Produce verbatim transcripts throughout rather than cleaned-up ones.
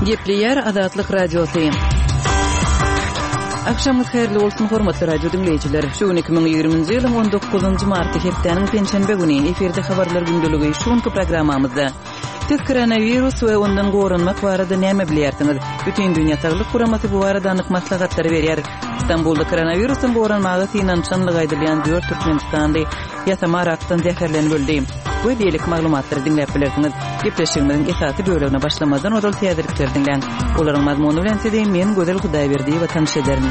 Gepleýär Azatlyk Radiosy. Agşamyňyz haýyrly bolsun, hormatly radio diňleýjiler. Şu gün iki müň ýigriminji ýylyň on dokuzynjy marty, hepdäniň penşenbe güni, efirde habarlar gündeligi. Şu günki programmamyzda Siz koronawirus we ondan goranmak barada näme bilýärsiňiz? Bütindünýä Saglyk Guramasy bu barada anyk maslahatlary berýär. Stambulda koronawirusdan goranmaga synanyşanlygy aýdylýan dört türkmenistanly ýasama arakdan zäherlenip öldi. We beýleki maglumatlary diňläp bilersiňiz. Gepleşigimiziň esasy bölegine başlamazdan ozal täzelikleri diňläň. Olaryň mazmuny bilen sizi men Gözel Hudaýberdiýewa tanyş ederin.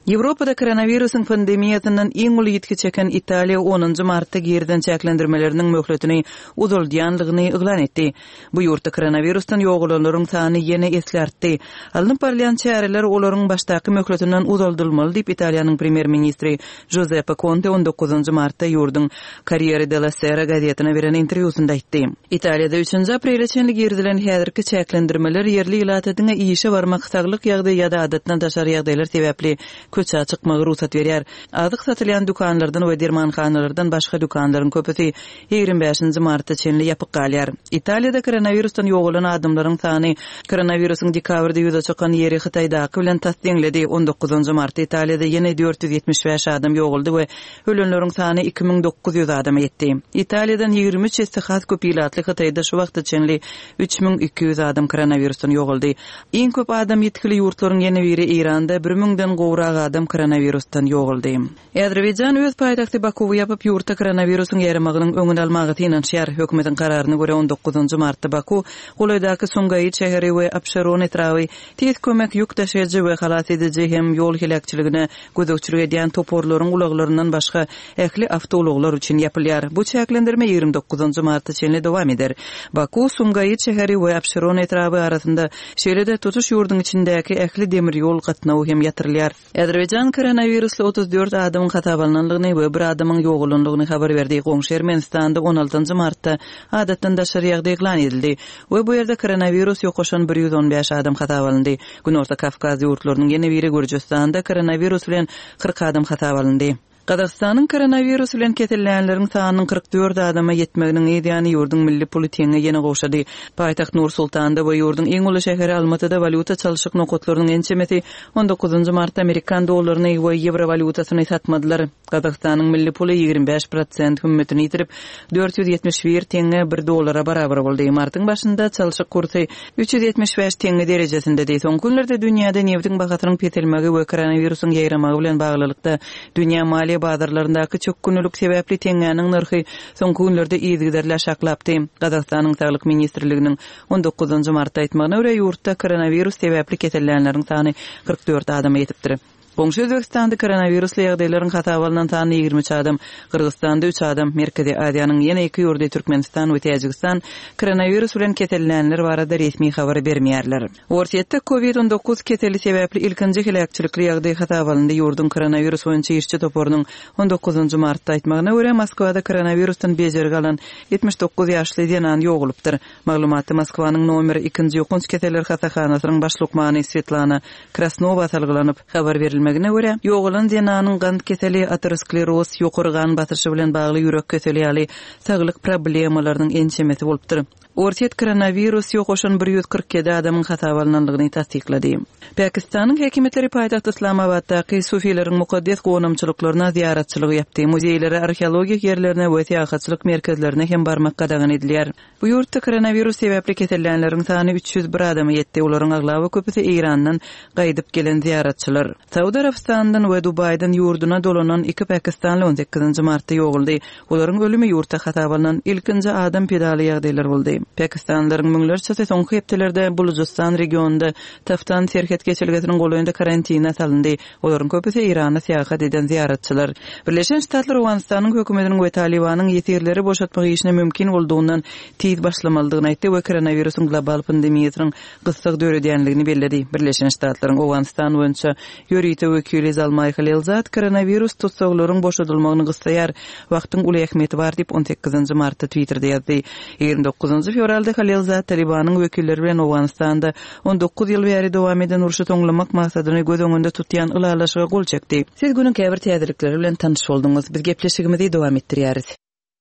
Ýewropada koronawirusyň pandemiýasyndan iň uly ýitgi çeken Italiýa onunjy martda girizen çäklendirmeleriniň möhletini uzaldýanlygyny yglan etdi. Bu ýurtda koronawirusdan ýogalanlaryň sany ýene esli artdy. Alnyp barylýan çäreler olaryň başdaky möhletinden uzaldylmaly diýip, Italiýanyň premýer-ministri Žuzeppe Konte on dokuzynjy martda ýurduň Corriere della Sera gazetine beren interwýusynda aýtdy. Italiýada üçünji aprele çenli girizilen häzirki çäklendirmeler ýerli ilata diňe işe barmak, saglyk ýagdaýy ýa-da adatdan daşary ýagdaýlar sebäpli köçä çykmagy rugsat berýär. Azyk satylýan dükanlardan we dermanhanalardan başga dükanlaryň köpüsi ýigrimi bäşinji marta çenli ýapyk galýar. Italiýada koronawirusdan ýogalan adamlaryň sany koronawirusyň dekabrda ýüze çykan ýeri Hytaýdaky bilen tas deňledi. On dokuzynjy martda Italiýada ýene dört ýüz ýetmiş bäş adam ýogaldy we ölenleriň sany iki müň dokuz ýüz adama ýetdi. Italiýadan ýigrimi üç esse has köp ilatly Hytaýda şu wagta çenli üç müň iki ýüz adam koronawirusdan ýogaldy. Iň köp adam ýitgili ýurtlaryň ýene biri Eýranda bir müňden gowrak adam koronawirusdan ýogaldy. Azerbaýjan öz paýtagty Bakuwy ýapyp, ýurtda koronawirusyň ýaýramagynyň öňüni almaga synanyşýar. Hökümetiň kararyna görä on dokuzynjy martda Baku, golaýdaky Sumgaýyt şäheri we Abşeron etraby tiz kömek ýük daşaýjy we halas ediji hem ýol heläkçiligine gözegçilik edýän toparlaryň ulaglaryndan başga ähli awtoulaglar üçin ýapylýar. Bu çäklendirme ýigrimi dokuzynjy marta çenli dowam eder. Baku, Sumgaýyt şäheri we Abşeron etraby arasynda şeýle-de tutuş ýurduň içindäki ähli demir ýol gatnawy hem ýatyrylýar. Azerbaýjan koronawirusly otuz dört adamyň hasap alnanlygyny we bir adamyň ýogalanlygyny habar berdi. Goňşy Ermenistanda on altynjy martda adatdan daşary ýagdaý yglan edildi we bu ýerde koronawirus ýokaşan bir ýüz on bäş adam hasap alyndy. Günorta Kawkaz ýurtlarynyň ýene biri Gürjüstanda koronawirus bilen kyrk adam hasap alyndy. Gazagystanyň koronawirus bilen kesellänleriň sanynyň kyrk dört adama ýetmeginiň yz ýany ýurduň milli puly teňňe ýene gowşady. Paýtagt Nur-Sultanda we ýurduň iň uly şäheri Almatyda walýuta çalşyk nokatlarynyň ençemesi on dokuzynjy martda amerikan dollaryny we ýewro walýutasyny satmadylar. Gazagystanyň milli puly ýigrimi bäş prosent hümmetini ýitirip, dört ýüz ýetmiş bir teňňe bir dollara barabar boldy. Martyň başynda çalşyk kursy üç ýüz ýetmiş bäş teňňe derejesindedi. Soňky günlerde dünýäde nebitiň bahasynyň peselmegi we koronawirusyň ýaýramagy bilen baglylykda dünýä maliýe bazarlaryndaky çökgünlilik sebäpli teňňäniň nyrhy soňky günlerde yzygiderli aşaklapdy. Gazagystanyň Saglyk ministrliginiň on dokuzynjy martda aýtmagyna görä, ýurtda koronawirus sebäpli kesellänleriň sany kyrk dört adama ýetipdir. Goňşy Özbegistanda koronawirusly ýagdaýlaryň hasaba alnan sany ýigrimi üç adam, Gyrgyzystanda üç adam, Merkezi Aziýanyň ýene iki ýurdy Türkmenistan we Täjigistan koronawirus bilen kesellänler barada resmi habar bermeýärler. Orsýetde kovid on dokuz keseli sebäpli ilkinji heläkçilikli ýagdaý hasaba alyndy. Ýurduň koronawirus boýunça işçi toparynyň on dokuzynjy martda aýtmagyna görä, Moskwada koronawirusdan bejergi alan ýetmiş dokuz ýaşly zenan ýogalypdyr. Maglumatda Moskwanyň nomer ikinji ýokanç keseller hassahanasynyň baş lukmany Svetlana Krasnowa salgylanyp habar berilmegine görä, ýogalan zenanyň gant keseli, ateroskleroz, ýokary gan basyşy bilen bagly ýürek keseli ýaly saglyk problemalarynyň ençemesi bolupdyr. Orsýet koronawirus ýokaşan bir ýüz kyrk ýedi adamyň hasaba alnanlygyny tassyklady. Pakistanyň häkimiýetleri paýtagt Islamabatdaky sufileriň mukaddes gonamçylyklaryna zyýaratçylygy ýapdy. Muzeýlere, arheologik ýerlerine we syýahatçylyk merkezlerine hem barmak gadagan edilýär. Bu ýurtda koronawirus sebäpli kesellänleriň sany üç ýüz bir adama ýetdi. Olaryň aglaba köpüsi Eýrandan gaýdyp gelen zyýaratçylar. Saud Arabystandan we Dubaýdan ýurduna dolanan iki pakistanly on sekizinji martda ýogaldy. Olaryň ölümi ýurtda hasaba alnan ilkinji adam pedaly ýagdaýlar boldy. Pakistanlylaryň müňlerçesi soňky hepdelerde Bulujystan regionynda Taftan serhet geçelgesiniň golaýynda karantina salyndy. Olaryň köpüsi Eýrana syýahat eden zyýaratçylar. Birleşen Ştatlar Owganystanyň hökümetiniň we Talibanyň ýesirleri boşatmak işine mümkin boldugyny tiz başlamalydygyny aýtdy we koronawirusyň global pandemiýasynyň gyssag döredýänligini belledi. Birleşen Ştatlaryň Owganystan boýunça ýörite wekili Zalmay Khalilzad koronawirus tussaglaryň boşadylmagyny gyssaýar. Wagtyň uly ähmiýeti bar diýip on sekizinji martda Twitterde ýazdy. Ýigrimi dokuzynjy fewralda Khalilzad Talibanyň wekilleri bilen Owganystanda on dokuz ýyl bäri dowam eden urşy soňlamak maksadyny göz öňünde tutýan ylalaşyga gol çekdi. Siz günüň käbir täzelikleri bilen tanyş bolduňyz. Biz gepleşigimizi dowam etdirýäris.